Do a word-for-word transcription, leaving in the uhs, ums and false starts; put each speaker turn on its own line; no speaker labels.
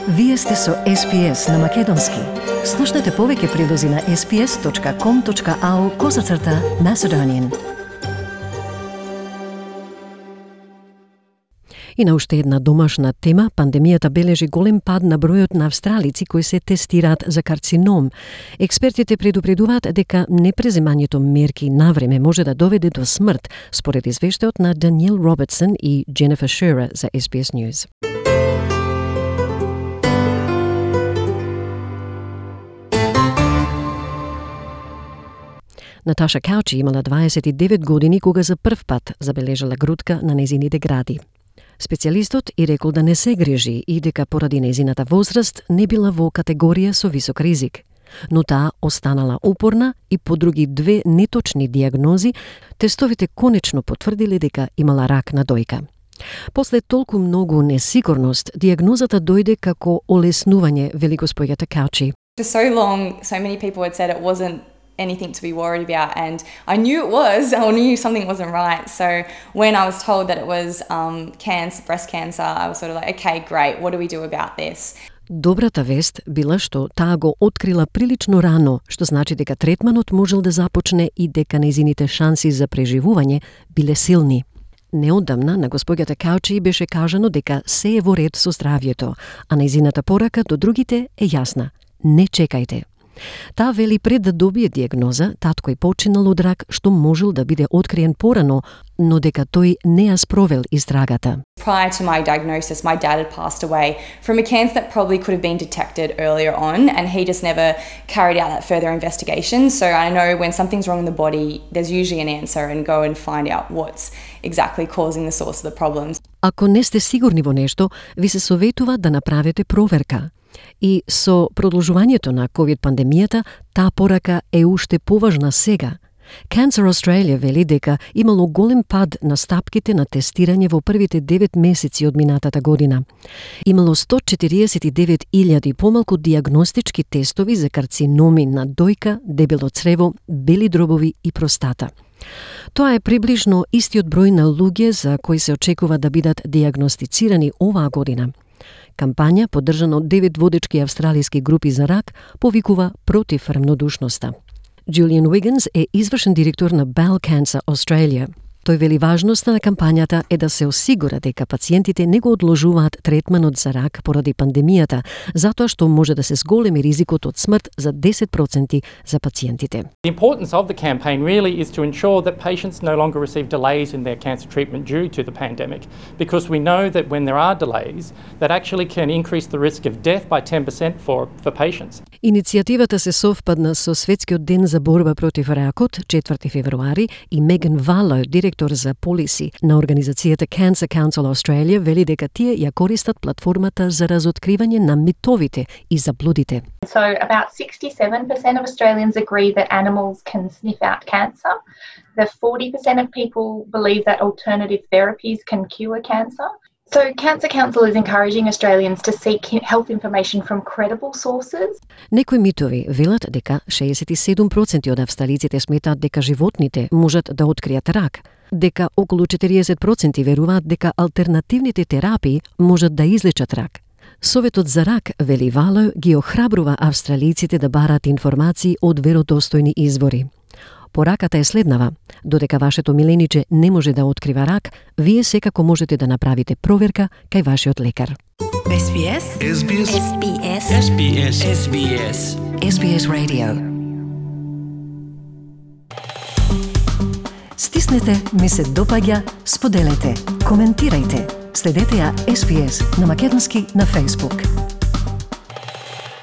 Вие сте со Ес Би Ес на Македонски. Слушнете повеќе прилози на ес би ес точка ком точка ау козацрта Macedonian. И на уште една домашна тема, пандемијата бележи голем пад на бројот на австралици кои се тестираат за карцином. Експертите предупредуваат дека непреземањето мерки навреме може да доведе до смрт, според извештајот на Даниел Робертсон и Дженефер Шера за Ес Би Ес News. Наташа Каучи имала дваесет и девет години кога за прв пат забележала грудка на незините гради. Специјалистот и рекол да не се грижи и дека поради незината возраст не била во категорија со висок ризик. Но таа останала упорна и по други две неточни диагнози, тестовите конечно потврдиле дека имала рак на дојка. После толку многу несигурност, диагнозата дојде како олеснување, вели госпоѓата Каучи.
For so long, so many people had said it wasn't anything to be worried about, and I knew it was, I knew something wasn't right. So when I was told that it was um, cancer, breast cancer, I was sort of like, okay, great, what do we do about this?
Добрата вест била што таа го открила прилично рано, што значи дека третманот можел да започне и дека незините шанси за преживување биле силни. Неодамна на госпоѓата Каучи беше кажано дека се е во ред со здравјето, а незината порака до другите е јасна. Не чекајте. Таа вели пред да добие диагноза, татко е починал од рак што можел да биде откриен порано, но дека тој не ја спровел истрагата.
Prior to my diagnosis, my dad had passed away from a cancer that probably could have been detected earlier on, and he just never carried out that further investigation. So I know when something's wrong in the body, there's usually an answer, and go and find out what's exactly causing the source of the problems.
Ако не сте сигурни во нешто, ви се советува да направите проверка. И со продолжувањето на ковид пандемијата, таа порака е уште поважна сега. Cancer Australia вели дека имало голем пад на стапките на тестирање во првите девет месеци од минатата година. Имало сто четириесет и девет илјади помалку диагностички тестови за карциноми на дојка, дебело црево, бели дробови и простата. Тоа е приближно истиот број на луѓе за кои се очекува да бидат диагностицирани оваа година. Кампања, поддржана од девет водечки австралиски групи за рак, повикува против рамнодушноста. Джулиан Уигинс е извршен директор на Bowel Cancer Australia. Тој вели важноста на кампањата е да се осигура дека пациентите не го одложуваат третманот за рак поради пандемијата, затоа што може да се зголеми ризикот од смрт за десет проценти за пациентите.
The importance of the campaign really is to ensure that patients no longer receive delays in their cancer treatment due to the pandemic, because we know that when there are delays, that actually can increase the risk of death by ten percent for, for patients.
Иницијативата се совпадна со Светскиот ден за борба против ракот, четврти февруари, и Меган Вало, директор за полиси на организацијата Cancer Council Australia, вели дека тие ја користат платформата за разоткривање на митовите и заблудите.
So about sixty-seven percent of Australians agree that animals can sniff out cancer. The forty percent of people believe that alternative therapies can cure cancer. So Cancer Council is encouraging Australians to seek health information from credible sources.
Некои митови велат дека шеесет и седум проценти од австралиците сметаат дека животните можат да откријат рак, дека околу четириесет проценти веруваат дека алтернативните терапии можат да излечат рак. Советот за рак, вели Вало, ги охрабрува австралиците да бараат информации од веродостојни извори. Пораката е следнава. Додека вашето милениче не може да открива рак, вие секако можете да направите проверка кај вашиот лекар.
Ес Би Ес. Ес Би Ес. Ес Би Ес. Ес Би Ес. Ес Би Ес. Ес Би Ес Radio.
Стиснете, ми се допаѓа, споделете, коментирајте. Следете ја Ес Би Ес на Македонски на Facebook.